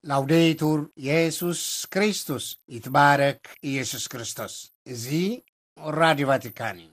ላውዴቱር የሱስ ክርስቶስ፣ ይትባረክ ኢየሱስ ክርስቶስ። እዚ ራዲዮ ቫቲካን እዩ።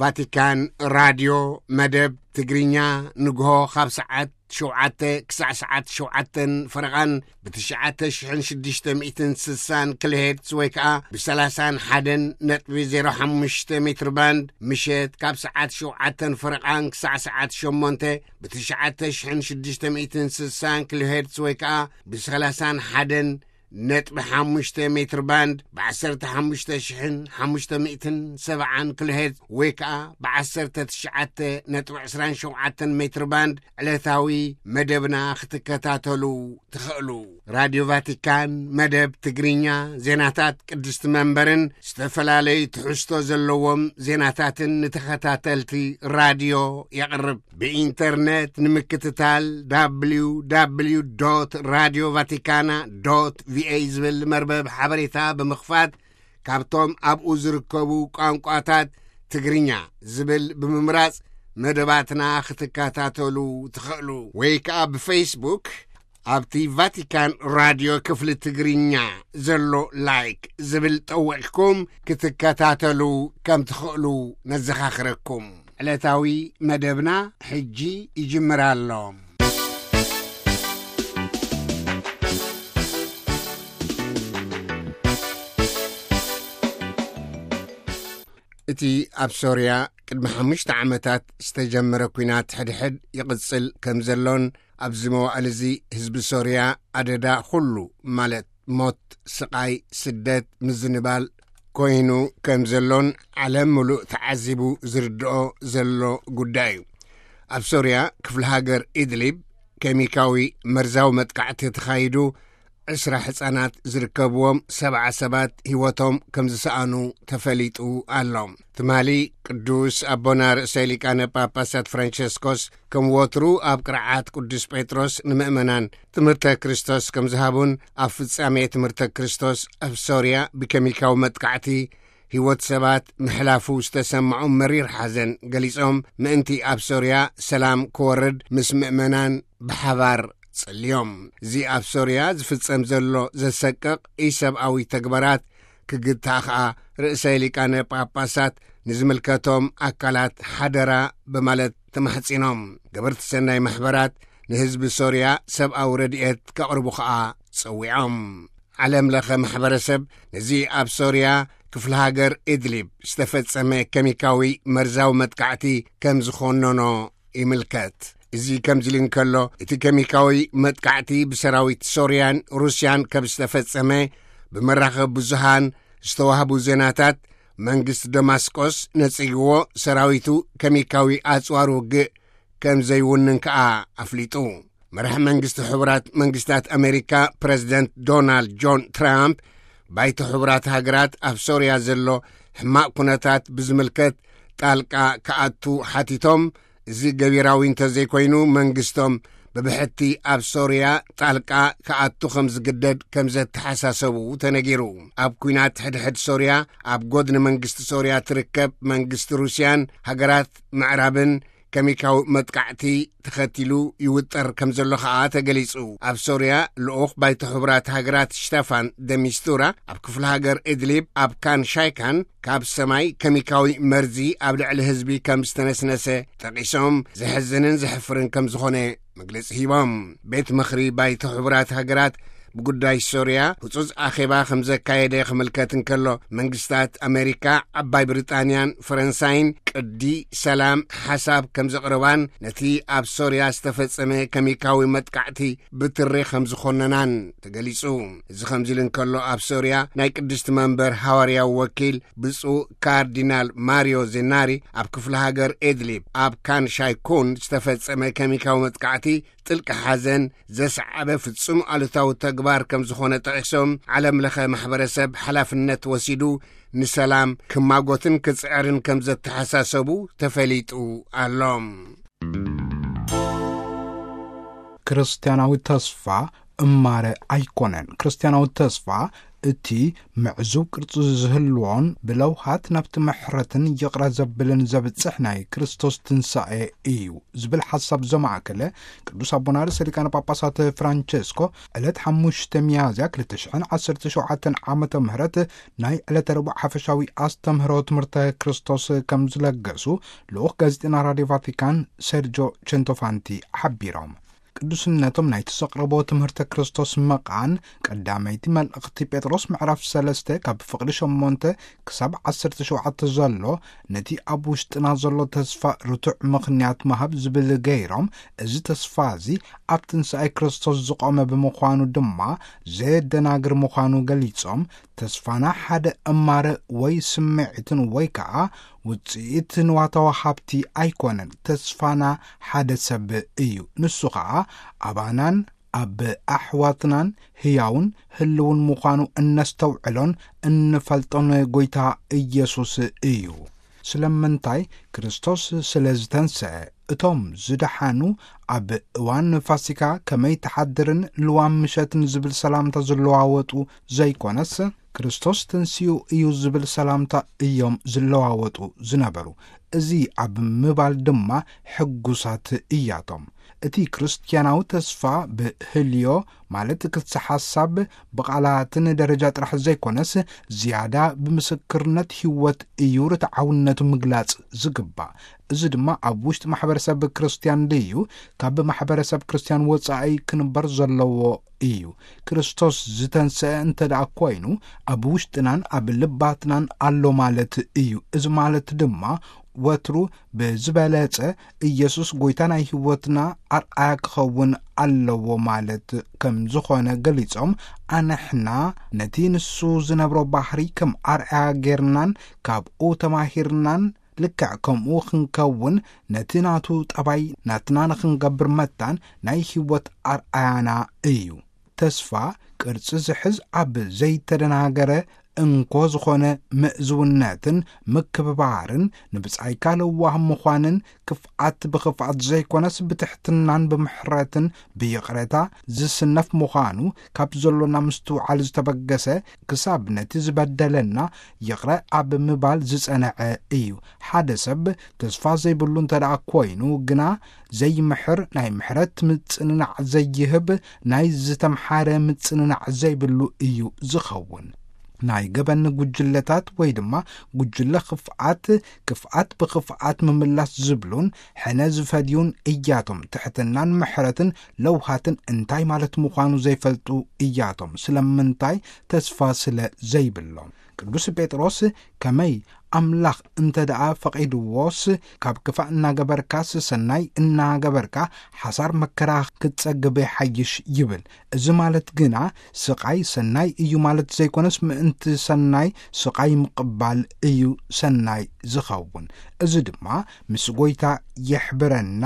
ቫቲካን ራድዮ መደብ ትግርኛ ንግሆ ካብ ሰዓት ሸውዓተ ክሳዕ ሰዓት ሸውዓተን ፈረቓን ብትሽዓተ ሽሕን ሽዱሽተ ሚእትን ስሳን ኪሎሄርትዝ ወይ ከኣ ብሰላሳን ሓደን ነጥቢ ዜሮ ሓሙሽተ ሜትር ባንድ፣ ምሸት ካብ ሰዓት ሸውዓተን ፈረቓን ክሳዕ ሰዓት ሸሞንተ ብትሽዓተ ሽሕን ሽዱሽተ ሚእትን ስሳን ኪሎሄርትዝ ወይ ከኣ ብሰላሳን ሓደን ነጥቢ ሓሙሽተ ሜትር ባንድ፣ ብዓሰርተ ሓሙሽተ ሽሕን ሓሙሽተ ሚእትን ሰብዓን ኪሎሄርትዝ ወይ ከኣ ብዓሰርተ ትሽዓተ ነጥቢ ዕስራን ሸውዓተን ሜትር ባንድ ዕለታዊ መደብና ክትከታተሉ ትኽእሉ። ራድዮ ቫቲካን መደብ ትግርኛ፣ ዜናታት ቅድስቲ መንበርን ዝተፈላለዩ ትሕዝቶ ዘለዎም ዜናታትን ንተኸታተልቲ ራድዮ የቕርብ። ብኢንተርነት ንምክትታል፣ www radio vaticana ቪኦኤ ዝብል መርበብ ሓበሬታ ብምኽፋት፣ ካብቶም ኣብኡ ዝርከቡ ቋንቋታት ትግርኛ ዝብል ብምምራጽ መደባትና ክትከታተሉ ትኽእሉ። ወይ ከኣ ብፌስቡክ ኣብቲ ቫቲካን ራድዮ ክፍሊ ትግርኛ ዘሎ ላይክ ዝብል ጠዊቕኩም ክትከታተሉ ከም ትኽእሉ ነዘኻኽረኩም። ዕለታዊ መደብና ሕጂ ይጅምር ኣሎ። እቲ ኣብ ሶርያ ቅድሚ ሓሙሽተ ዓመታት ዝተጀመረ ኲናት ሕድሕድ ይቕጽል ከም ዘሎን ኣብዚ መዋእል እዚ ህዝቢ ሶርያ ኣደዳ ኩሉ፣ ማለት ሞት፣ ስቓይ፣ ስደት፣ ምዝንባል ኮይኑ ከም ዘሎን ዓለም ምሉእ ተዓዚቡ ዝርድኦ ዘሎ ጉዳይ እዩ። ኣብ ሶርያ ክፍለ ሃገር ኢድሊብ ኬሚካዊ መርዛዊ መጥቃዕቲ ተኻይዱ ዕስራ ህጻናት ዝርከብዎም ሰብዓ ሰባት ህይወቶም ከም ዝሰኣኑ ተፈሊጡ ኣሎ። ትማሊ ቅዱስ ኣቦና ርእሰ ሊቃነ ጳጳሳት ፍራንቸስኮስ ከም ወትሩ ኣብ ቅርዓት ቅዱስ ጴጥሮስ ንምእመናን ትምህርተ ክርስቶስ ከም ዝሃቡን ኣብ ፍጻሜ ትምህርተ ክርስቶስ ኣብ ሶርያ ብኬሚካዊ መጥቃዕቲ ህይወት ሰባት ምሕላፉ ዝተሰምዖም መሪር ሓዘን ገሊጾም፣ ምእንቲ ኣብ ሶርያ ሰላም ክወርድ ምስ ምእመናን ብሓባር ጸልዮም። እዚ ኣብ ሶርያ ዝፍጸም ዘሎ ዘሰቅቕ ኢሰብኣዊ ተግባራት ክግታእ ከኣ ርእሰ ሊቃነ ጳጳሳት ንዝምልከቶም ኣካላት ሓደራ ብማለት ተማሕጺኖም። ገበርቲ ሰናይ ማሕበራት ንህዝቢ ሶርያ ሰብኣዊ ረድኤት ከቕርቡ ከኣ ጸዊዖም። ዓለም ለኸ ማሕበረሰብ ነዚ ኣብ ሶርያ ክፍለ ሃገር ኢድሊብ ዝተፈጸመ ኬሚካዊ መርዛዊ መጥቃዕቲ ከም ዝኾነኖ ይምልከት። እዚ ከምዚ ኢሉ እንከሎ፣ እቲ ኬሚካዊ መጥቃዕቲ ብሰራዊት ሶርያን ሩስያን ከም ዝተፈጸመ ብመራኸቢ ብዙሃን ዝተዋህቡ ዜናታት መንግስቲ ደማስቆስ ነጺግዎ፣ ሰራዊቱ ኬሚካዊ ኣጽዋር ውግእ ከም ዘይውንን ከኣ ኣፍሊጡ። መራሒ መንግስቲ ሕቡራት መንግስታት ኣሜሪካ ፕረዚደንት ዶናልድ ጆን ትራምፕ፣ ባይቶ ሕቡራት ሃገራት ኣብ ሶርያ ዘሎ ሕማቕ ኩነታት ብዝምልከት ጣልቃ ክኣቱ ሓቲቶም፣ እዚ ገቢራዊ እንተዘይኮይኑ መንግስቶም ብብሕቲ ኣብ ሶርያ ጣልቃ ክኣቱ ከም ዝግደድ ከም ዘተሓሳሰቡ ተነጊሩ። ኣብ ኲናት ሕድሕድ ሶርያ ኣብ ጎድኒ መንግስቲ ሶርያ ትርከብ መንግስቲ ሩስያን ሃገራት ምዕራብን ኬሚካዊ መጥቃዕቲ ተኸቲሉ ይውጠር ከም ዘሎ ከኣ ተገሊጹ። ኣብ ሶርያ ልኡኽ ባይቶ ሕቡራት ሃገራት ሽተፋን ደሚስቱራ ኣብ ክፍለ ሃገር እድሊብ ኣብ ካን ሻይካን ካብ ሰማይ ኬሚካዊ መርዚ ኣብ ልዕሊ ህዝቢ ከም ዝተነስነሰ ጠቒሶም፣ ዘሕዝንን ዘሕፍርን ከም ዝኾነ መግለጺ ሂቦም። ቤት ምኽሪ ባይቶ ሕቡራት ሃገራት ብጉዳይ ሶርያ ህጹጽ ኣኼባ ከም ዘካየደ ክምልከት እንከሎ፣ መንግስታት ኣሜሪካ፣ ዓባይ ብሪጣንያን ፈረንሳይን ቅዲ ሰላም ሓሳብ ከም ዘቕርባን ነቲ ኣብ ሶርያ ዝተፈጸመ ከሚካዊ መጥቃዕቲ ብትሪ ከም ዝኾነናን ተገሊጹ። እዚ ከምዚ ኢሉ እንከሎ፣ ኣብ ሶርያ ናይ ቅድስቲ መንበር ሃዋርያዊ ወኪል ብፁዕ ካርዲናል ማሪዮ ዜናሪ ኣብ ክፍለ ሃገር ኤድሊብ ኣብ ካን ሻይኩን ዝተፈጸመ ከሚካዊ መጥቃዕቲ ጥልቂ ሓዘን ዘስዓበ ፍጹም ኣሉታዊ ተግባር ከም ዝኾነ ጠቒሶም፣ ዓለም ለኸ ማሕበረሰብ ሓላፍነት ወሲዱ ንሰላም ክማጎትን ክጽዕርን ከም ዘተሓሳሰቡ ተፈሊጡ ኣሎ። ክርስትያናዊ ተስፋ እማረ ኣይኮነን። ክርስትያናዊ ተስፋ እቲ ምዕዙብ ቅርጺ ዝህልዎን ብለውሃት ናብቲ ምሕረትን ይቕረ ዘብልን ዘብጽሕ ናይ ክርስቶስ ትንሳኤ እዩ ዝብል ሓሳብ ዘማእከለ ቅዱስ ኣቦና ርእሰ ሊቃነ ጳጳሳት ፍራንቸስኮ ዕለት ሓሙሽተ ሚያዝያ ክልተ ሽሕን ዓሰርተ ሸውዓተን ዓመተ ምህረት ናይ ዕለተ ረቡዕ ሓፈሻዊ ኣስተምህሮ ትምህርተ ክርስቶስ ከም ዝለገሱ ልኡኽ ጋዜጠና ራድዮ ቫቲካን ሴርጆ ቸንቶፋንቲ ሓቢሮም። ቅዱስነቶም ናይቲ ዘቕረቦ ትምህርተ ክርስቶስ መቓን ቀዳመይቲ መልእኽቲ ጴጥሮስ ምዕራፍ ሰለስተ ካብ ፍቕዲ ሸሞንተ ክሳብ ዓሰርተ ሸውዓተ ዘሎ ነቲ ኣብ ውሽጥና ዘሎ ተስፋ ርቱዕ ምኽንያት ምሃብ ዝብል ገይሮም፣ እዚ ተስፋ እዚ ኣብ ትንሳኤ ክርስቶስ ዝቖመ ብምዃኑ ድማ ዘየደናግር ምዃኑ ገሊጾም፣ ተስፋና ሓደ እማረ ወይ ስምዒትን ወይ ከኣ ውጽኢት ንዋታዊ ሃብቲ ኣይኮነን። ተስፋና ሓደ ሰብ እዩ። ንሱ ኸኣ ኣባናን ኣብ ኣሕዋትናን ህያውን ህልውን ምዃኑ እነስተውዕሎን እንፈልጦን ጐይታ ኢየሱስ እዩ። ስለምንታይ? ክርስቶስ ስለ ዝተንስአ። እቶም ዝደሓኑ ኣብ እዋን ፋሲካ ከመይ ትሓድርን ልዋም ምሸትን ዝብል ሰላምታ ዝለዋወጡ ዘይኮነስ፣ ክርስቶስ ተንሲኡ እዩ ዝብል ሰላምታ እዮም ዝለዋወጡ ዝነበሩ። እዚ ኣብ ምባል ድማ ሕጉሳት እያቶም። እቲ ክርስትያናዊ ተስፋ ብህልዮ፣ ማለት ክሲ ሓሳብ፣ ብቓላትን ደረጃ ጥራሕ ዘይኮነስ፣ ዝያዳ ብምስክርነት ህይወት እዩ ርትዓውነቱ ምግላጽ ዝግባእ። እዚ ድማ ኣብ ውሽጢ ማሕበረሰብ ክርስትያን ድዩ፣ ካብ ማሕበረሰብ ክርስትያን ወጻኢ ክንበር ዘለዎ እዩ። ክርስቶስ ዝተንስአ እንተ ደኣ ኮይኑ፣ ኣብ ውሽጥናን ኣብ ልባትናን ኣሎ ማለት እዩ። እዚ ማለት ድማ ወትሩ ብዝበለጸ ኢየሱስ ጐይታ ናይ ህይወትና ኣርኣያ ክኸውን ኣለዎ ማለት ከም ዝኾነ ገሊጾም፣ ኣንሕና ነቲ ንሱ ዝነብሮ ባህሪ ከም ኣርኣያ ጌርናን ካብኡ ተማሂርናን፣ ልክዕ ከምኡ ክንከውን ነቲ ናቱ ጠባይ ናትና ንኽንገብር መታን ናይ ህይወት ኣርኣያና እዩ። ተስፋ ቅርጺ ዝሕዝ ኣብ ዘይተደናገረ እንኮ ዝኾነ ምእዝውነትን ምክብባርን፣ ንብጻይካ ለዋህ ምዃንን፣ ክፍኣት ብኽፍኣት ዘይኮነስ ብትሕትናን ብምሕረትን ብይቕረታ ዝስነፍ ምዃኑ፣ ካብ ዘሎና ምስትውዓል ዝተበገሰ፣ ክሳብ ነቲ ዝበደለና ይቕረ ኣብ ምባል ዝጸንዐ እዩ። ሓደ ሰብ ተስፋ ዘይብሉ እንተ ደኣ ኮይኑ ግና፣ ዘይምሕር ናይ ምሕረት ምጽንናዕ ዘይህብ፣ ናይ ዝተምሓረ ምጽንናዕ ዘይብሉ እዩ ዝኸውን። ናይ ገበን ጉጅለታት ወይ ድማ ጉጅለ ክፍኣት፣ ክፍኣት ብኽፍኣት ምምላስ ዝብሉን ሕነ ዝፈድዩን እያቶም። ትሕትናን ምሕረትን ለውሃትን እንታይ ማለት ምዃኑ ዘይፈልጡ እያቶም። ስለምንታይ? ተስፋ ስለ ዘይብሎም። ቅዱስ ጴጥሮስ ከመይ ኣምላኽ እንተ ደኣ ፈቒድዎስ፣ ካብ ክፋእ እናገበርካስ ሰናይ እናገበርካ ሓሳር መከራ ክትጸግብ ይሓይሽ ይብል። እዚ ማለት ግና ስቓይ ሰናይ እዩ ማለት ዘይኮነስ፣ ምእንቲ ሰናይ ስቓይ ምቕባል እዩ ሰናይ ዝኸውን። እዚ ድማ ምስ ጐይታ የሕብረና።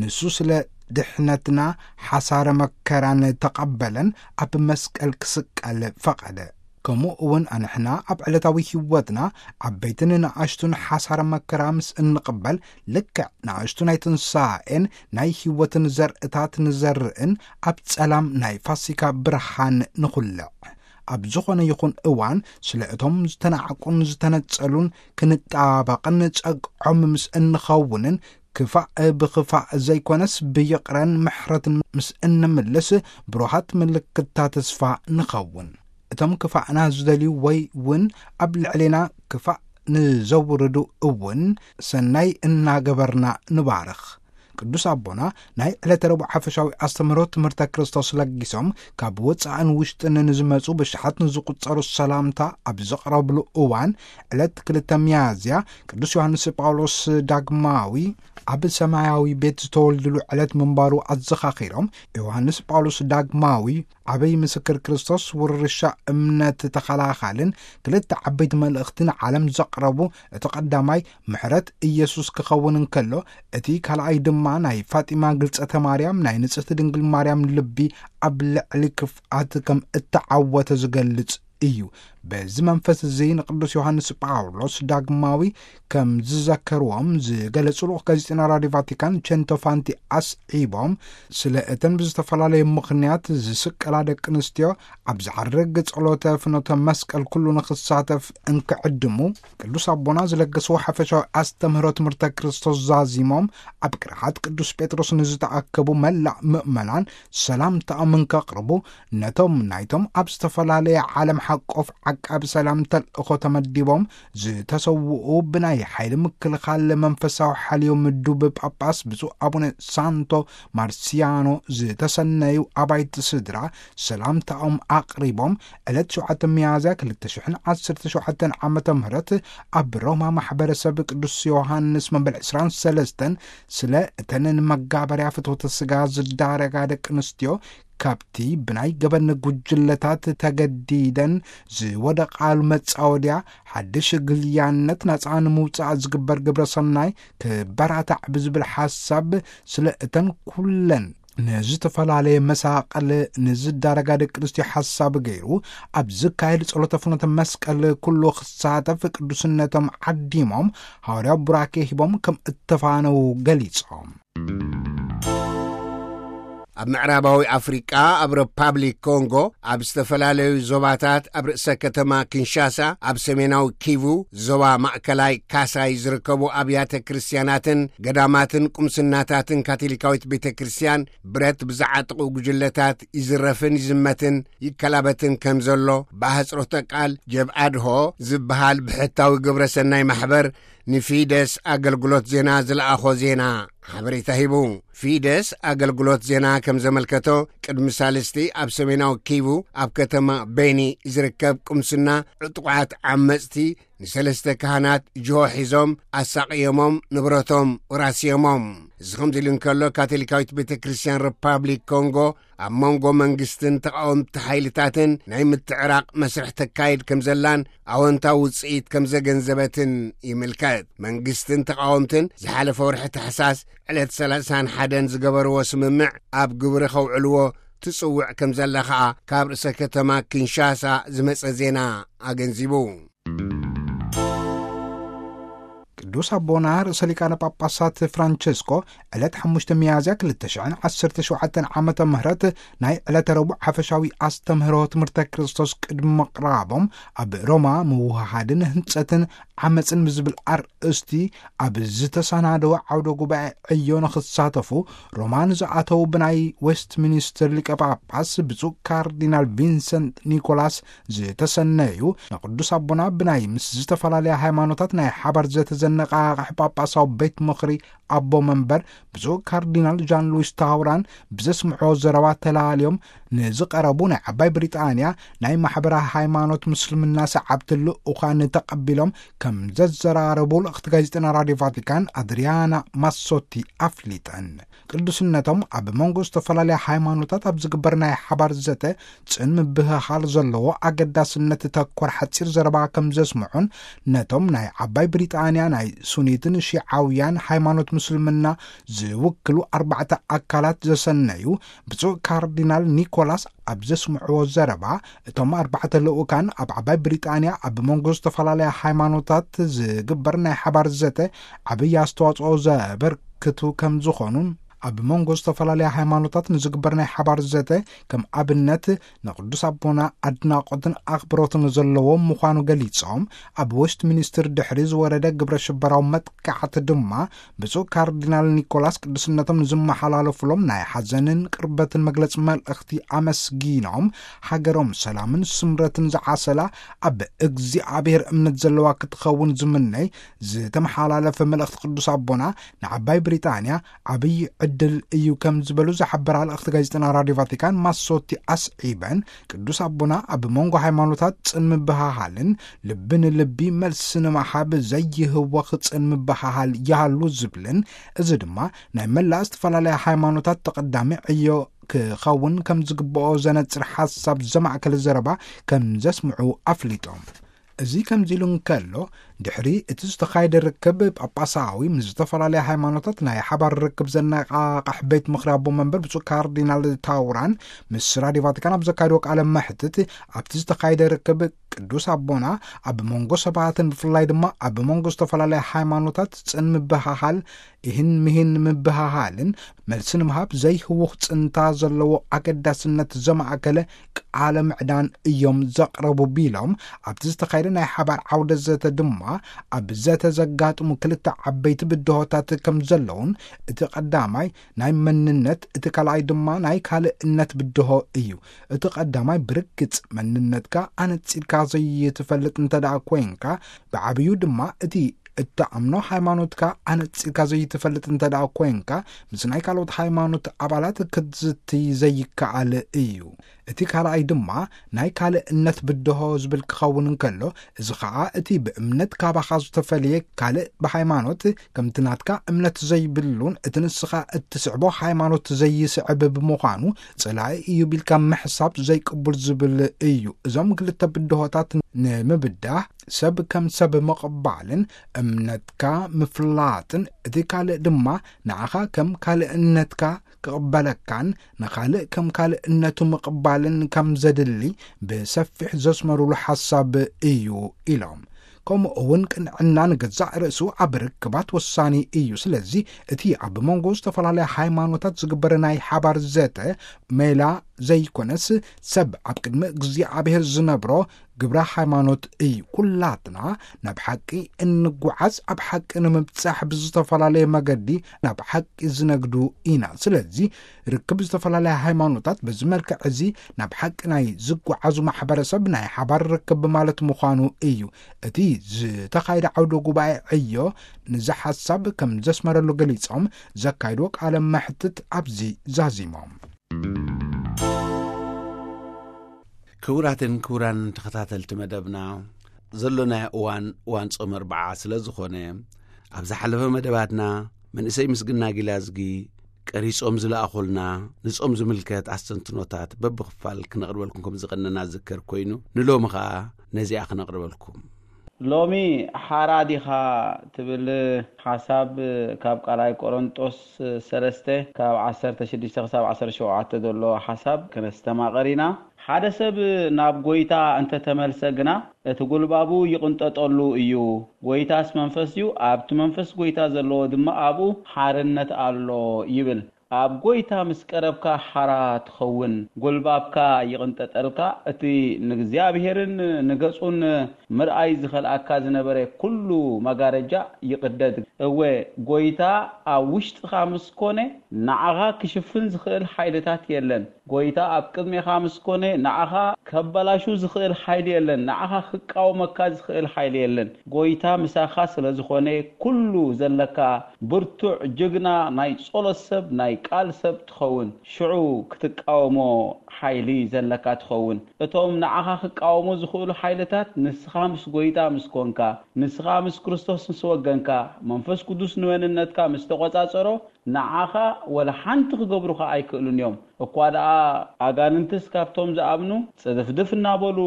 ንሱ ስለ ድሕነትና ሓሳረ መከራን ተቐበለን ኣብ መስቀል ክስቀል ፈቐደ። ከምኡ እውን ኣንሕና ኣብ ዕለታዊ ህይወትና ዓበይትን ንኣሽቱን ሓሳረ መከራ ምስ እንቕበል፣ ልክዕ ንኣሽቱ ናይ ትንሳኤን ናይ ህይወትን ዘርእታት ንዘርእን ኣብ ጸላም ናይ ፋሲካ ብርሃን ንኹልዕ። ኣብ ዝኾነ ይኹን እዋን ስለ እቶም ዝተናዕቁን ዝተነጸሉን ክንጣበቕን ጸግዖም ምስ እንኸውንን ክፋእ ብኽፋእ ዘይኮነስ ብይቕረን ምሕረትን ምስ እንምልስ ብሩሃት ምልክታ ተስፋ ንኸውን። እቶም ክፋእና ዝደልዩ ወይ እውን ኣብ ልዕሌና ክፋእ ንዘውርዱ እውን ሰናይ እናገበርና ንባርኽ። ቅዱስ ኣቦና ናይ ዕለተ ረቡዕ ሓፈሻዊ ኣስተምህሮ ትምህርተ ክርስቶስ ለጊሶም፣ ካብ ወጻእን ውሽጥን ንዝመጹ ብሽሓት ንዝቁጸሩ ሰላምታ ኣብ ዘቕረብሉ እዋን፣ ዕለት ክልተ ሚያዝያ ቅዱስ ዮሃንስ ጳውሎስ ዳግማዊ ኣብ ሰማያዊ ቤት ዝተወልድሉ ዕለት ምንባሩ ኣዘኻኺሮም፣ ዮሃንስ ጳውሎስ ዳግማዊ ዓብይ ምስክር ክርስቶስ፣ ውርሻ እምነት ተኸላኻልን ክልተ ዓበይቲ መልእኽቲ ንዓለም ዘቕረቡ፣ እቲ ቀዳማይ ምሕረት ኢየሱስ ክኸውን እንከሎ፣ እቲ ካልኣይ ድማ ናይ ፋጢማ ግልጸተ ማርያም፣ ናይ ንጽሕቲ ድንግል ማርያም ልቢ ኣብ ልዕሊ ክፍኣት ከም እተዓወተ ዝገልጽ እዩ። በዚ መንፈስ እዚ ንቅዱስ ዮሃንስ ጳውሎስ ዳግማዊ ከም ዝዘከርዎም ዝገለጹ ልኡኽ ጋዜጠኛ ራድዮ ቫቲካን ቸንቶ ፋንቲ ኣስዒቦም፣ ስለ እተን ብዝተፈላለየ ምኽንያት ዝስቀላ ደቂ ኣንስትዮ ኣብ ዝዓርግ ጸሎተ ፍኖተ መስቀል ኩሉ ንኽሳተፍ እንክዕድሙ፣ ቅዱስ ኣቦና ዝለገስዎ ሓፈሻዊ ኣስተምህሮ ትምህርተ ክርስቶስ ዛዚሞም፣ ኣብ ቅርሓት ቅዱስ ጴጥሮስ ንዝተኣከቡ መላእ ምእመናን ሰላምታኦም እንከቕርቡ፣ ነቶም ናይቶም ኣብ ዝተፈላለየ ዓለም ሓቆፍ ዓቃቢ ሰላም ተልእኾ ተመዲቦም ዝተሰውኡ ብናይ ሓይሊ ምክልኻል መንፈሳዊ ሓልዮ ምዱብ ጳጳስ ብፁዕ ኣቡነ ሳንቶ ማርሲያኖ ዝተሰነዩ ኣባይቲ ስድራ ሰላምታኦም ኣቕሪቦም፣ ዕለት ሸውዓተ ሚያዝያ ክልተ ሽሕን ዓሰርተ ሸውዓተን ዓመተ ምህረት ኣብ ሮማ ማሕበረሰብ ቅዱስ ዮሃንስ መበል ዕስራን ሰለስተን ስለ እተን ንመጋበርያ ፍትወተ ስጋ ዝዳረጋ ደቂ ኣንስትዮ፣ ካብቲ ብናይ ገበን ጉጅለታት ተገዲደን ዝወደቓሉ መጻወድያ ሓድሽ ግልያነት ናጻ ንምውጻእ ዝግበር ግብረ ሰናይ ክበራታዕ ብዝብል ሓሳብ፣ ስለ እተን ኩለን ንዝተፈላለየ መሳቕል ንዝዳረጋ ደቂ ኣንስትዮ ሓሳብ ገይሩ፣ ኣብ ዝካየድ ጸሎተ ፍኖተ መስቀል ኩሉ ክሳተፍ ቅዱስነቶም ዓዲሞም፣ ሃዋርያዊ ቡራኬ ሂቦም ከም እተፋነዉ ገሊጾም። ኣብ ምዕራባዊ ኣፍሪቃ፣ ኣብ ሪፓብሊክ ኮንጎ፣ ኣብ ዝተፈላለዩ ዞባታት፣ ኣብ ርእሰ ከተማ ኪንሻሳ፣ ኣብ ሰሜናዊ ኪቩ፣ ዞባ ማእከላይ ካሳይ ዝርከቡ ኣብያተ ክርስትያናትን ገዳማትን ቁምስናታትን ካቶሊካዊት ቤተ ክርስትያን ብረት ብዝዓጥቑ ጉጅለታት ይዝረፍን ይዝመትን ይከላበትን ከም ዘሎ ብኣህጽሮተ ቃል ጀብኣድሆ ዝበሃል ብሕታዊ ግብረ ሰናይ ማሕበር ንፊደስ ኣገልግሎት ዜና ዝለኣኾ ዜና ሓበሬታ ሂቡ። ፊደስ ኣገልግሎት ዜና ከም ዘመልከቶ፣ ቅድሚ ሳልስቲ ኣብ ሰሜናዊ ኪቡ ኣብ ከተማ ቤኒ ዝርከብ ቁምስና ዕጡቓት ዓመጽቲ ንሰለስተ ካህናት ጅሆ ሒዞም ኣሳቕዮሞም፣ ንብረቶም ወራስዮሞም። እዚ ከምዚ ኢሉ እንከሎ፣ ካቶሊካዊት ቤተ ክርስትያን ሪፓብሊክ ኮንጎ ኣብ መንጎ መንግስትን ተቓወምቲ ሓይልታትን ናይ ምትዕራቕ መስርሕ ተካይድ ከም ዘላን ኣወንታዊ ውጽኢት ከም ዘገንዘበትን ይምልከት። መንግስትን ተቓወምትን ዝሓለፈ ወርሒ ታሕሳስ ዕለት ሰላሳን ሓደን ዝገበርዎ ስምምዕ ኣብ ግብሪ ከውዕልዎ ትጽውዕ ከም ዘላ ኸኣ ካብ ርእሰ ከተማ ኪንሻሳ ዝመጸ ዜና ኣገንዚቡ። ቅዱስ ኣቦና ርእሰ ሊቃነ ጳጳሳት ፍራንቸስኮ ዕለት ሓሙሽተ ሚያዝያ ክልተ ሽሕን ዓሰርተ ሸውዓተን ዓመተ ምህረት ናይ ዕለተ ረቡዕ ሓፈሻዊ ኣስተምህሮ ትምህርተ ክርስቶስ ቅድሚ ምቕራቦም፣ ኣብ ሮማ ምውህሃድን ህንጸትን ዓመጽን ብዝብል ኣርእስቲ ኣብ ዝተሰናደወ ዓውደ ጉባኤ ዕዮ ንኽሳተፉ ሮማ ንዝኣተዉ ብናይ ዌስትሚኒስተር ሊቀ ጳጳስ ብፁዕ ካርዲናል ቪንሰንት ኒኮላስ ዝተሰነዩ፣ ንቅዱስ ኣቦና ብናይ ምስ ዝተፈላለያ ሃይማኖታት ናይ ሓባር ዘተ ዘነቓቕሕ ጳጳሳዊ ቤት ምኽሪ ኣቦ መንበር ብፁዕ ካርዲናል ጃን ሉዊስ ታውራን ብዘስምዕዎ ዘረባ ተላልዮም ንዝቐረቡ ናይ ዓባይ ብሪጣንያ ናይ ማሕበረ ሃይማኖት ምስልምና ሰዓብቲ ልኡኻን ተቐቢሎም ከም ዘዘራረቡ ልእኽቲ ጋዜጠና ራድዮ ቫቲካን ኣድሪያና ማሶቲ ኣፍሊጠን። ቅዱስነቶም ኣብ መንጎ ዝተፈላለያ ሃይማኖታት ኣብ ዝግበር ናይ ሓባር ዘተ ጽን ምብህሃል ዘለዎ ኣገዳስነት ተኮር ሓጺር ዘረባ ከም ዘስምዑን፣ ነቶም ናይ ዓባይ ብሪጣንያ ናይ ሱኒትን ሺዓውያን ሃይማኖት ምስልምና ዝውክሉ ኣርባዕተ ኣካላት ዘሰነዩ ብፁዕ ካርዲናል ኒኮላስ ኣብ ዘስምዕዎ ዘረባ፣ እቶም ኣርባዕተ ልኡካን ኣብ ዓባይ ብሪጣንያ ኣብ መንጎ ዝተፈላለያ ሃይማኖታት ዝግበር ናይ ሓባር ዘተ ዓብዪ ኣስተዋጽኦ ዘበርክቱ ከም ዝኾኑን፣ ኣብ መንጎ ዝተፈላለያ ሃይማኖታት ንዝግበር ናይ ሓባር ዘተ ከም ኣብነት ንቅዱስ ኣቦና ኣድናቆትን ኣኽብሮትን ዘለዎ ምዃኑ ገሊጾም፣ ኣብ ዌስት ሚኒስትር ድሕሪ ዝወረደ ግብረ ሽበራዊ መጥቃዕቲ ድማ ብፁዕ ካርዲናል ኒኮላስ ቅዱስነቶም ንዝመሓላለፉሎም ናይ ሓዘንን ቅርበትን መግለጺ መልእኽቲ ኣመስጊኖም፣ ሃገሮም ሰላምን ስምረትን ዝዓሰላ ኣብ እግዚኣብሔር እምነት ዘለዋ ክትኸውን ዝምነይ ዝተመሓላለፈ መልእኽቲ ቅዱስ ኣቦና ንዓባይ ብሪጣንያ ዓብዪ ዕድል እዩ ከም ዝበሉ ዝሓበራ ልእኽቲ ጋዜጠና ራድዮ ቫቲካን ማሶቲ ኣስዒበን፣ ቅዱስ ኣቦና ኣብ መንጎ ሃይማኖታት ጽን ምብሃሃልን ልቢ ንልቢ መልሲ ንምሃብ ዘይህወኽ ጽን ምብሃሃል ይሃሉ ዝብልን፣ እዚ ድማ ናይ መላእ ዝተፈላለያ ሃይማኖታት ተቐዳሚ ዕዮ ክኸውን ከም ዝግብኦ ዘነጽር ሓሳብ ዘማእከለ ዘረባ ከም ዘስምዑ ኣፍሊጦም። እዚ ከምዚ ኢሉ እንከሎ፣ ድሕሪ እቲ ዝተኻየደ ርክብ ጳጳሳዊ ምስ ዝተፈላለያ ሃይማኖታት ናይ ሓባር ርክብ ዘነቃቃሕ ቤት ምኽሪ ኣቦ መንበር ብፁዕ ካርዲናል ታውራን ምስ ራድዮ ቫቲካን ኣብ ዘካየድዎ ቃለ መሕትት፣ ኣብቲ ዝተኻየደ ርክብ ቅዱስ ኣቦና ኣብ መንጎ ሰባትን ብፍላይ ድማ ኣብ መንጎ ዝተፈላለያ ሃይማኖታት ጽን ምብሃሃል፣ ይህን ምሂን ምብሃሃልን መልሲ ንምሃብ ዘይህውኽ ጽንታ ዘለዎ ኣገዳስነት ዘማእከለ ቃለ ምዕዳን እዮም ዘቕረቡ ቢሎም፣ ኣብቲ ዝተኻየደ ናይ ሓባር ዓውደ ዘተ ድማ ኣብ ዘተ ዘጋጥሙ ክልተ ዓበይቲ ብድሆታት ከም ዘለውን፣ እቲ ቀዳማይ ናይ መንነት፣ እቲ ካልኣይ ድማ ናይ ካልእነት ብድሆ እዩ። እቲ ቀዳማይ ብርግጽ መንነትካ ኣነጺርካ ዘይትፈልጥ እንተ ደኣ ኮይንካ፣ ብዓብዩ ድማ እቲ እትኣምኖ ሃይማኖትካ ኣነጺርካ ዘይትፈልጥ እንተ ደኣ ኮይንካ፣ ምስ ናይ ካልኦት ሃይማኖት ኣባላት ክትዝቲ ዘይከኣል እዩ። እቲ ካልኣይ ድማ ናይ ካልእነት ብድሆ ዝብል ክኸውን እንከሎ፣ እዚ ኸኣ እቲ ብእምነት ካባኻ ዝተፈልየ ካልእ ብሃይማኖት ከምቲ ናትካ እምነት ዘይብሉን እቲ ንስኻ እትስዕቦ ሃይማኖት ዘይስዕብ ብምዃኑ ጽላኢ እዩ ቢልካ ምሕሳብ ዘይቅቡል ዝብል እዩ። እዞም ክልተ ብድሆታት ንምብዳህ ሰብ ከም ሰብ ምቕባልን እምነትካ ምፍላጥን፣ እቲ ካልእ ድማ ንዓኻ ከም ካልእነትካ ክቕበለካን ንኻልእ ከም ካልእነቱ ምቕባልን ከም ዘድሊ ብሰፊሕ ዘስመሩሉ ሓሳብ እዩ ኢሎም። ከምኡ እውን ቅንዕና ንገዛእ ርእሱ ኣብ ርክባት ወሳኒ እዩ። ስለዚ እቲ ኣብ መንጎ ዝተፈላለያ ሃይማኖታት ዝግበር ናይ ሓባር ዘተ ሜላ ዘይኮነስ፣ ሰብ ኣብ ቅድሚ እግዚኣብሔር ዝነብሮ ግብረ ሃይማኖት እዩ። ኩላትና ናብ ሓቂ እንጓዓዝ፣ ኣብ ሓቂ ንምብጻሕ ብዝተፈላለየ መገዲ ናብ ሓቂ ዝነግዱ ኢና። ስለዚ ርክብ ዝተፈላለያ ሃይማኖታት በዚ መልክዕ እዚ ናብ ሓቂ ናይ ዝጓዓዙ ማሕበረሰብ ናይ ሓባር ርክብ ማለት ምዃኑ እዩ። እቲ ዝተኻየደ ዓውደ ጉባኤ ዕዮ ንዚ ሓሳብ ከም ዘስመረሉ ገሊጾም፣ ዘካይድዎ ቃለ መሕትት ኣብዚ ዛዚሞም። ክቡራትን ክቡራን ተኸታተልቲ መደብና፣ ዘሎናዮ እዋን እዋን ጾም ኣርብዓ ስለ ዝኾነ፣ ኣብ ዝሓለፈ መደባትና መንእሰይ ምስግና ጊላዝጊ ቀሪጾም ዝለኣኹልና ንጾም ዝምልከት ኣስተንትኖታት በብኽፋል ክነቕርበልኩም ከም ዝቐነና ዝከር ኮይኑ፣ ንሎሚ ኸኣ ነዚኣ ክነቕርበልኩም። ሎሚ ሓራ ዲኻ ትብል ሓሳብ ካብ ካልኣይ ቆሮንጦስ ሰለስተ ካብ ዓሰርተ ሽዱሽተ ክሳብ ዓሰርተ ሸውዓተ ዘሎ ሓሳብ ክነስተማቐር ኢና። ሓደ ሰብ ናብ ጎይታ እንተተመልሰ ግና፣ እቲ ጉልባቡ ይቕንጠጠሉ እዩ። ጎይታስ መንፈስ እዩ፣ ኣብቲ መንፈስ ጎይታ ዘለዎ ድማ ኣብኡ ሓርነት ኣሎ ይብል። ኣብ ጎይታ ምስ ቀረብካ ሓራ ትኸውን፣ ጎልባብካ ይቕንጠጠልካ፣ እቲ ንእግዚኣብሔርን ንገጹን ምርኣይ ዝኸልኣካ ዝነበረ ኩሉ መጋረጃ ይቕደድ። እወ፣ ጎይታ ኣብ ውሽጥኻ ምስ ኮነ፣ ንዓኻ ክሽፍን ዝኽእል ሓይልታት የለን። ጎይታ ኣብ ቅድሜኻ ምስ ኮነ፣ ንዓኻ ከበላሹ ዝኽእል ሓይሊ የለን። ንዓኻ ክቃወመካ ዝኽእል ሓይሊ የለን። ጎይታ ምሳኻ ስለ ዝኾነ፣ ኩሉ ዘለካ ብርቱዕ ጅግና ናይ ጸሎት ሰብ፣ ናይ ቃል ሰብ ትኸውን። ሽዑ ክትቃወሞ ሓይሊ ዘለካ ትኸውን። እቶም ንዓኻ ክቃወሙ ዝኽእሉ ሓይልታት፣ ንስኻ ምስ ጎይታ ምስ ኮንካ፣ ንስኻ ምስ ክርስቶስ ምስ ወገንካ፣ መንፈስ ቅዱስ ንመንነትካ ምስ ተቖጻጸሮ፣ ንዓኻ ወላ ሓንቲ ክገብሩኻ ኣይክእሉን እዮም። እኳ ደኣ ኣጋንንትስ ካብቶም ዝኣምኑ ጽድፍድፍ እናበሉ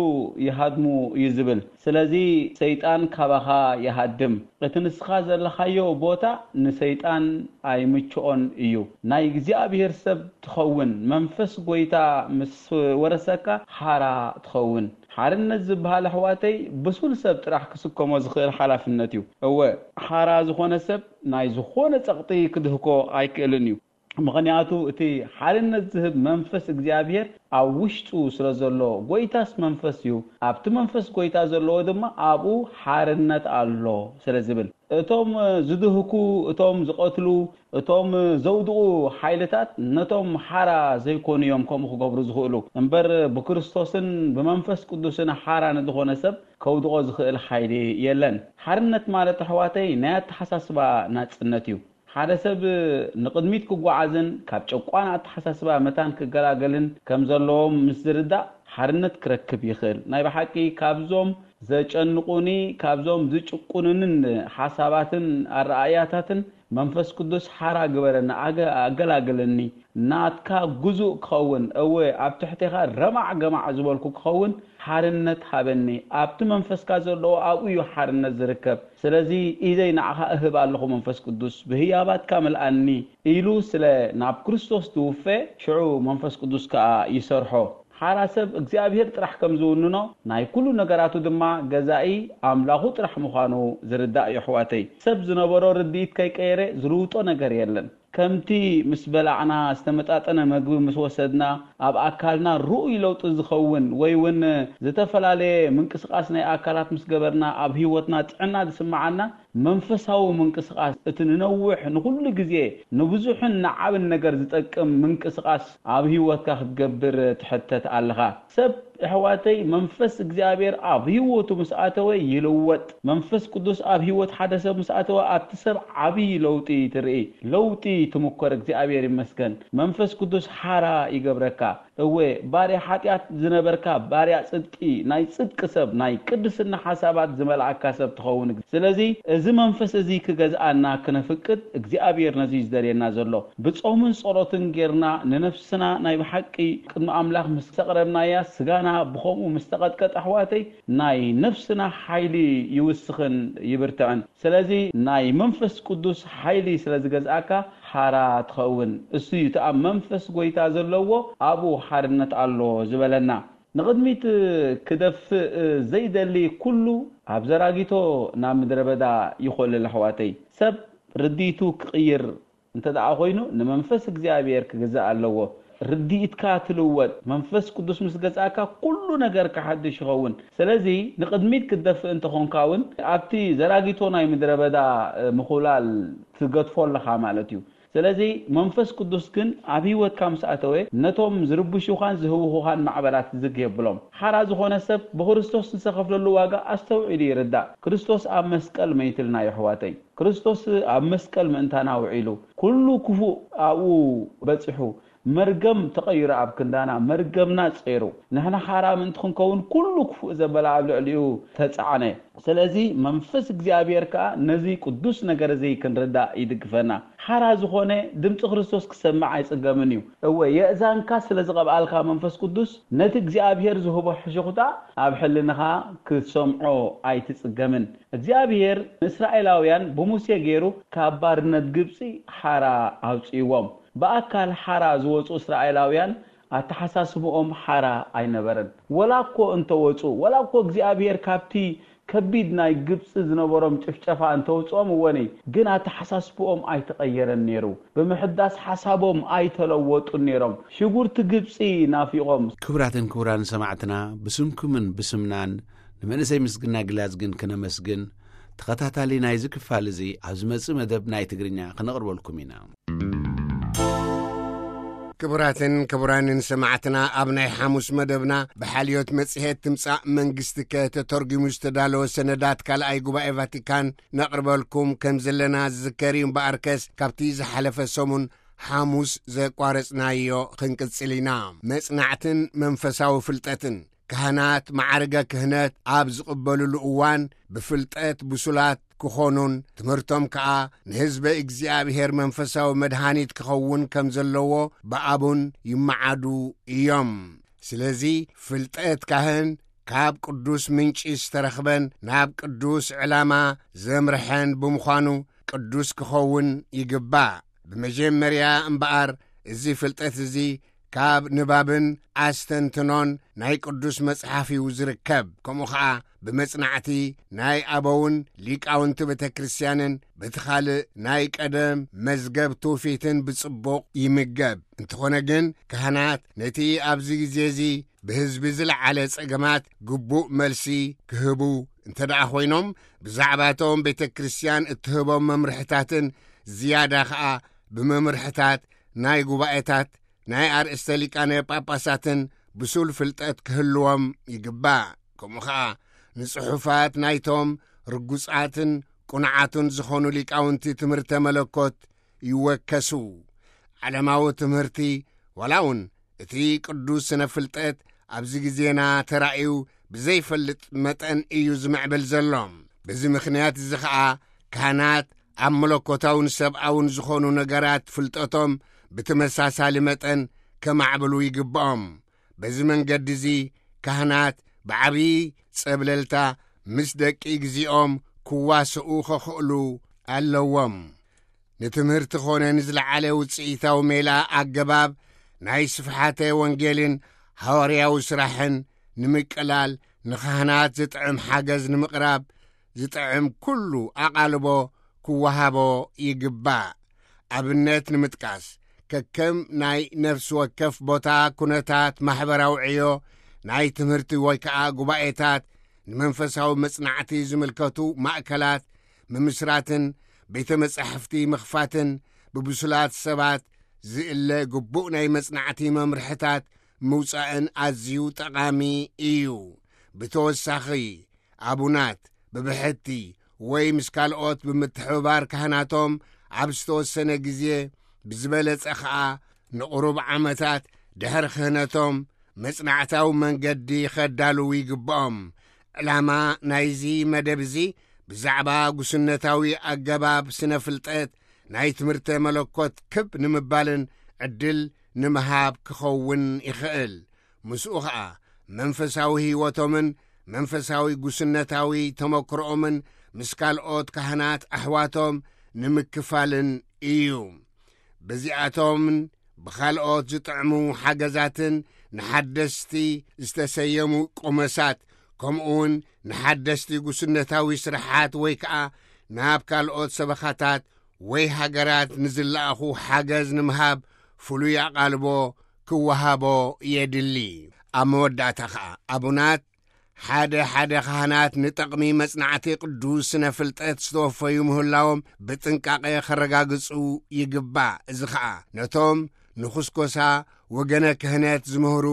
ይሃድሙ እዩ ዝብል። ስለዚ ሰይጣን ካባኻ ይሃድም። እቲ ንስኻ ዘለኻዮ ቦታ ንሰይጣን ኣይምችኦን እዩ። ናይ እግዚኣብሔር ሰብ ትኸውን፣ መንፈስ ጎይታ ምስ ወረሰካ ሓራ ትኸውን። ሓርነት ዝበሃል ኣሕዋተይ ብሱል ሰብ ጥራሕ ክስከሞ ዝኽእል ሓላፍነት እዩ። እወ፣ ሓራ ዝኾነ ሰብ ናይ ዝኾነ ጸቕጢ ክድህኮ ኣይክእልን እዩ። ምኽንያቱ እቲ ሓርነት ዝህብ መንፈስ እግዚኣብሔር ኣብ ውሽጡ ስለ ዘሎ፣ ጎይታስ መንፈስ እዩ፣ ኣብቲ መንፈስ ጎይታ ዘለዎ ድማ ኣብኡ ሓርነት ኣሎ ስለ ዝብል፣ እቶም ዝድህኩ፣ እቶም ዝቐትሉ፣ እቶም ዘውድቑ ሓይልታት ነቶም ሓራ ዘይኮኑ እዮም ከምኡ ክገብሩ ዝኽእሉ። እምበር ብክርስቶስን ብመንፈስ ቅዱስን ሓራ ንዝኾነ ሰብ ከውድቖ ዝኽእል ሓይሊ የለን። ሓርነት ማለት ኣሕዋተይ ናይ ኣተሓሳስባ ናጽነት እዩ። ሓደ ሰብ ንቕድሚት ክጓዓዝን ካብ ጨቋን ኣተሓሳስባ መታን ክገላገልን ከም ዘለዎም ምስ ዝርዳእ ሓርነት ክረክብ ይኽእል። ናይ ብሓቂ ካብዞም ዘጨንቑኒ፣ ካብዞም ዝጭቁኑንን ሓሳባትን ኣረኣእያታትን መንፈስ ቅዱስ ሓራ ግበረኒ፣ ኣገ-፣ ኣገላግለኒ፣ ናትካ ግዙእ ክኸውን፣ እወ ኣብ ትሕቴኻ ረማዕ ገማዕ ዝበልኩ ክኸውን ሓርነት ሃበኒ። ኣብቲ መንፈስካ ዘለዎ ኣብኡ እዩ ሓርነት ዝርከብ። ስለዚ ኢደይ ንዓኻ እህብ ኣለኹ መንፈስ ቅዱስ፣ ብህያባትካ ምልኣኒ ኢሉ ስለ ናብ ክርስቶስ ትውፈ፣ ሽዑ መንፈስ ቅዱስ ከኣ ይሰርሖ። ሓራ ሰብ እግዚኣብሔር ጥራሕ ከም ዝውንኖ፣ ናይ ኩሉ ነገራቱ ድማ ገዛኢ ኣምላኹ ጥራሕ ምዃኑ ዝርዳእ እዩ ኣሕዋተይ። ሰብ ዝነበሮ ርድኢት ከይቀየረ ዝልውጦ ነገር የለን። ከምቲ ምስ በላዕና፣ ዝተመጣጠነ መግቢ ምስ ወሰድና፣ ኣብ ኣካልና ርኡይ ለውጢ ዝኸውን ወይ እውን ዝተፈላለየ ምንቅስቓስ ናይ ኣካላት ምስ ገበርና፣ ኣብ ህይወትና ጥዕና ዝስምዓና፣ መንፈሳዊ ምንቅስቓስ፣ እቲ ንነውሕ፣ ንኹሉ ግዜ፣ ንብዙሕን ንዓብን ነገር ዝጠቅም ምንቅስቓስ ኣብ ህይወትካ ክትገብር ትሕተት ኣለኻ። ሰብ ኣሕዋተይ፣ መንፈስ እግዚኣብሔር ኣብ ህይወቱ ምስ ኣተወ ይልወጥ። መንፈስ ቅዱስ ኣብ ህይወት ሓደ ሰብ ምስ ኣተወ ኣብቲ ሰብ ዓብዪ ለውጢ ትርኢ። ለውጢ ትምኮር። እግዚኣብሔር ይመስገን። መንፈስ ቅዱስ ሓራ ይገብረካ። እወ፣ ባርያ ሓጢኣት ዝነበርካ፣ ባርያ ጽድቂ፣ ናይ ጽድቂ ሰብ፣ ናይ ቅድስና ሓሳባት ዝመልኣካ ሰብ ትኸውን። ስለዚ እዚ መንፈስ እዚ ክገዝኣና ክነፍቅድ እግዚኣብሔር ነዚ እዩ ዝደልየና ዘሎ። ብጾምን ጸሎትን ጌርና ንነፍስና ናይ ብሓቂ ቅድሚ ኣምላኽ ምስ ኣቕረብናያ፣ ስጋና ብኸምኡ ምስ ተቐጥቀጠ፣ ኣሕዋተይ፣ ናይ ነፍስና ሓይሊ ይውስኽን ይብርትዕን። ስለዚ ናይ መንፈስ ቅዱስ ሓይሊ ስለ ዝገዝኣካ ሓራ ትኸውን። እሱ እዩ እቲ ኣብ መንፈስ ጎይታ ዘለዎ ኣብኡ ሓርነት ኣሎ ዝበለና። ንቕድሚት ክደፍእ ዘይደሊ ኩሉ ኣብ ዘራጊቶ ናብ ምድረ በዳ ይኾልል ኣሕዋተይ። ሰብ ርዲቱ ክቕይር እንተ ደኣ ኮይኑ፣ ንመንፈስ እግዚኣብሔር ክግዛእ ኣለዎ። ርድኢትካ ትልወጥ። መንፈስ ቅዱስ ምስ ገዛእካ ኩሉ ነገር ክሓድሽ ይኸውን። ስለዚ ንቕድሚት ክትደፍእ እንተኾንካ እውን ኣብቲ ዘራጊቶ ናይ ምድረ በዳ ምኹላል ትገድፎ ኣለኻ ማለት እዩ። ስለዚ መንፈስ ቅዱስ ግን ኣብ ህይወትካ ምስ ኣተወ፣ ነቶም ዝርብሹኻን ዝህውኹኻን ማዕበላት ዝግ የብሎም። ሓራ ዝኾነ ሰብ ብክርስቶስ ንዝተኸፍለሉ ዋጋ ኣስተውዒሉ ይርዳእ። ክርስቶስ ኣብ መስቀል መይትልና፣ የሕዋተይ። ክርስቶስ ኣብ መስቀል ምእንታና ውዒሉ፣ ኩሉ ክፉእ ኣብኡ በጺሑ፣ መርገም ተቐይሩ ኣብ ክንዳና፣ መርገምና ጸይሩ። ንሕና ሓራ ምእንቲ ክንከውን ኩሉ ክፉእ ዘበለ ኣብ ልዕሊኡ ተጻዕነ። ስለዚ መንፈስ እግዚኣብሔር ከኣ ነዚ ቅዱስ ነገር እዚ ክንርዳእ ይድግፈና። ሓራ ዝኾነ ድምጺ ክርስቶስ ክሰምዕ ኣይጽገምን እዩ። እወ፣ የእዛንካ ስለ ዝቐብኣልካ መንፈስ ቅዱስ ነቲ እግዚኣብሔር ዝህቦ ሕሹኽታ ኣብ ሕልንኻ ክትሰምዖ ኣይትጽገምን። እግዚኣብሔር ንእስራኤላውያን ብሙሴ ገይሩ ካብ ባርነት ግብጺ ሓራ ኣውጽእዎም። ብኣካል ሓራ ዝወጹ እስራኤላውያን ኣተሓሳስብኦም ሓራ ኣይነበረን። ወላ እኮ እንተወጹ፣ ወላ እኮ እግዚኣብሔር ካብቲ ከቢድ ናይ ግብጺ ዝነበሮም ጭፍጨፋ እንተውጽኦም እወኒ፣ ግን ኣተሓሳስብኦም ኣይተቐየረን ነይሩ። ብምሕዳስ ሓሳቦም ኣይተለወጡን ነይሮም። ሽጉርቲ ግብጺ ናፊቖም። ክቡራትን ክቡራን ሰማዕትና፣ ብስምኩምን ብስምናን ንመንእሰይ ምስግና ግላዝ ግን ክነመስግን፣ ተኸታታሊ ናይዚ ክፋል እዚ ኣብ ዝመጽእ መደብ ናይ ትግርኛ ክነቕርበልኩም ኢና። ክቡራትን ክቡራንን ሰማዕትና፣ ኣብ ናይ ሓሙስ መደብና ብሓልዮት መጽሔት ትምጻእ መንግስቲ ከተተርጉሙ ዝተዳለወ ሰነዳት ካልኣይ ጉባኤ ቫቲካን ነቕርበልኩም ከም ዘለና ዝዝከር እዩ። እምበኣርከስ ካብቲ ዝሓለፈ ሰሙን ሓሙስ ዘቋረጽናዮ ክንቅጽል ኢና። መጽናዕትን መንፈሳዊ ፍልጠትን። ካህናት ማዕርገ ክህነት ኣብ ዝቕበልሉ እዋን ብፍልጠት ብሱላት ክኾኑን ትምህርቶም ከኣ ንህዝበ እግዚኣብሔር መንፈሳዊ መድሃኒት ክኸውን ከም ዘለዎ ብኣቡን ይመዓዱ እዮም። ስለዚ ፍልጠት ካህን ካብ ቅዱስ ምንጪ ዝተረኽበን ናብ ቅዱስ ዕላማ ዘምርሐን ብምዃኑ ቅዱስ ክኸውን ይግባእ። ብመጀመርያ እምበኣር እዚ ፍልጠት እዚ ካብ ንባብን ኣስተንትኖን ናይ ቅዱስ መጽሓፍ እዩ ዝርከብ። ከምኡ ኸኣ ብመጽናዕቲ ናይ ኣበውን ሊቃውንቲ ቤተ ክርስቲያንን፣ በቲ ኻልእ ናይ ቀደም መዝገብ ትውፊትን ብጽቡቕ ይምገብ። እንተኾነ ግን፣ ካህናት ነቲ ኣብዚ ግዜ እዚ ብህዝቢ ዝለዓለ ጸገማት ግቡእ መልሲ ክህቡ እንተ ደኣ ኾይኖም፣ ብዛዕባቶም ቤተ ክርስቲያን እትህቦም መምርሕታትን ዝያዳ ኸኣ ብመምርሕታት ናይ ጉባኤታት፣ ናይ ኣርእስተ ሊቃነ ጳጳሳትን ብሱል ፍልጠት ክህልዎም ይግባእ። ከምኡ ኸኣ ንጽሑፋት ናይቶም ርጉጻትን ቁኑዓትን ዝኾኑ ሊቃውንቲ ትምህርተ መለኮት ይወከሱ። ዓለማዊ ትምህርቲ፣ ዋላ እውን እቲ ቅዱስ ስነ ፍልጠት ኣብዚ ግዜና ተራእዩ ብዘይፈልጥ መጠን እዩ ዝምዕብል ዘሎ። በዚ ምኽንያት እዚ ኸኣ ካህናት ኣብ መለኮታውን ሰብኣውን ዝኾኑ ነገራት ፍልጠቶም ብተመሳሳሊ መጠን ከማዕብሉ ይግብኦም። በዚ መንገዲ እዚ ካህናት ብዓብዪ ጸብለልታ ምስ ደቂ እግዚኦም ክዋስኡ ኸኽእሉ ኣለዎም። ንትምህርቲ ኾነ ንዝለዓለ ውጽኢታዊ ሜላ ኣገባብ ናይ ስፍሓተ ወንጌልን ሃዋርያዊ ስራሕን ንምቅላል፣ ንኻህናት ዝጥዕም ሓገዝ ንምቕራብ ዝጥዕም ኩሉ ኣቓልቦ ክወሃቦ ይግባእ። ኣብነት ንምጥቃስ፣ ከከም ናይ ነፍሲ ወከፍ ቦታ ኩነታት ማሕበራዊ ዕዮ፣ ናይ ትምህርቲ ወይ ከኣ ጉባኤታት፣ ንመንፈሳዊ መጽናዕቲ ዝምልከቱ ማእከላት ምምስራትን ቤተ መጻሕፍቲ ምኽፋትን፣ ብብሱላት ሰባት ዝእለ ግቡእ ናይ መጽናዕቲ መምርሕታት ምውጻእን ኣዝዩ ጠቓሚ እዩ። ብተወሳኺ፣ ኣቡናት ብብሕቲ ወይ ምስ ካልኦት ብምትሕብባር ካህናቶም ኣብ ዝተወሰነ ግዜ፣ ብዝበለጸ ኸኣ ንቑሩብ ዓመታት ድሕሪ ክህነቶም፣ መጽናዕታዊ መንገዲ ኸዳልዉ ይግብኦም። ዕላማ ናይዚ መደብ እዚ ብዛዕባ ጉስነታዊ ኣገባብ ስነ ፍልጠት ናይ ትምህርተ መለኮት ክብ ንምባልን ዕድል ንምሃብ ክኸውን ይኽእል። ምስኡ ኸኣ መንፈሳዊ ህይወቶምን መንፈሳዊ ጉስነታዊ ተመክሮኦምን ምስ ካልኦት ካህናት ኣሕዋቶም ንምክፋልን እዩ። በዚኣቶምን ብኻልኦት ዝጥዕሙ ሓገዛትን ንሓደስቲ ዝተሰየሙ ቆመሳት፣ ከምኡውን ንሓደስቲ ጉስነታዊ ስራሓት ወይ ከኣ ናብ ካልኦት ሰበኻታት ወይ ሃገራት ንዝለኣኹ ሓገዝ ንምሃብ ፍሉይ ኣቓልቦ ክወሃቦ የድሊ። ኣብ መወዳእታ ኸኣ ኣቡናት ሓደ ሓደ ካህናት ንጠቕሚ መጽናዕቲ ቅዱስ ስነ ፍልጠት ዝተወፈዩ ምህላዎም ብጥንቃቐ ከረጋግጹ ይግባእ። እዚ ኸኣ ነቶም ንኹስኮሳ ወገነ ክህነት ዝምህሩ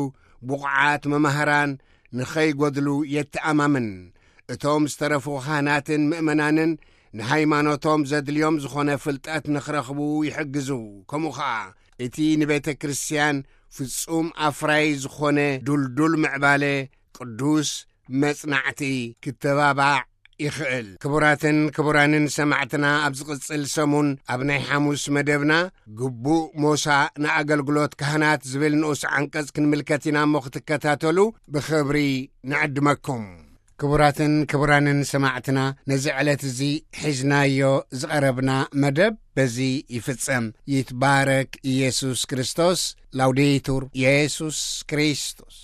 ብቑዓት መማህራን ንኸይጎድሉ የተኣማምን። እቶም ዝተረፉ ካህናትን ምእመናንን ንሃይማኖቶም ዘድልዮም ዝኾነ ፍልጠት ንኽረኽቡ ይሕግዙ። ከምኡ ኸኣ እቲ ንቤተ ክርስቲያን ፍጹም ኣፍራይ ዝኾነ ድልዱል ምዕባለ ቅዱስ መጽናዕቲ ክተባባዕ ይኽእል። ክቡራትን ክቡራንን ሰማዕትና፣ ኣብ ዝቕጽል ሰሙን ኣብ ናይ ሓሙስ መደብና፣ ግቡእ ሞሳ ንኣገልግሎት ካህናት ዝብል ንኡስ ዓንቀጽ ክንምልከት ኢና እሞ፣ ክትከታተሉ ብኽብሪ ንዕድመኩም። ክቡራትን ክቡራንን ሰማዕትና፣ ነዚ ዕለት እዚ ሒዝናዮ ዝቐረብና መደብ በዚ ይፍጸም። ይትባረክ ኢየሱስ ክርስቶስ። ላውዴቱር ኢየሱስ ክርስቶስ።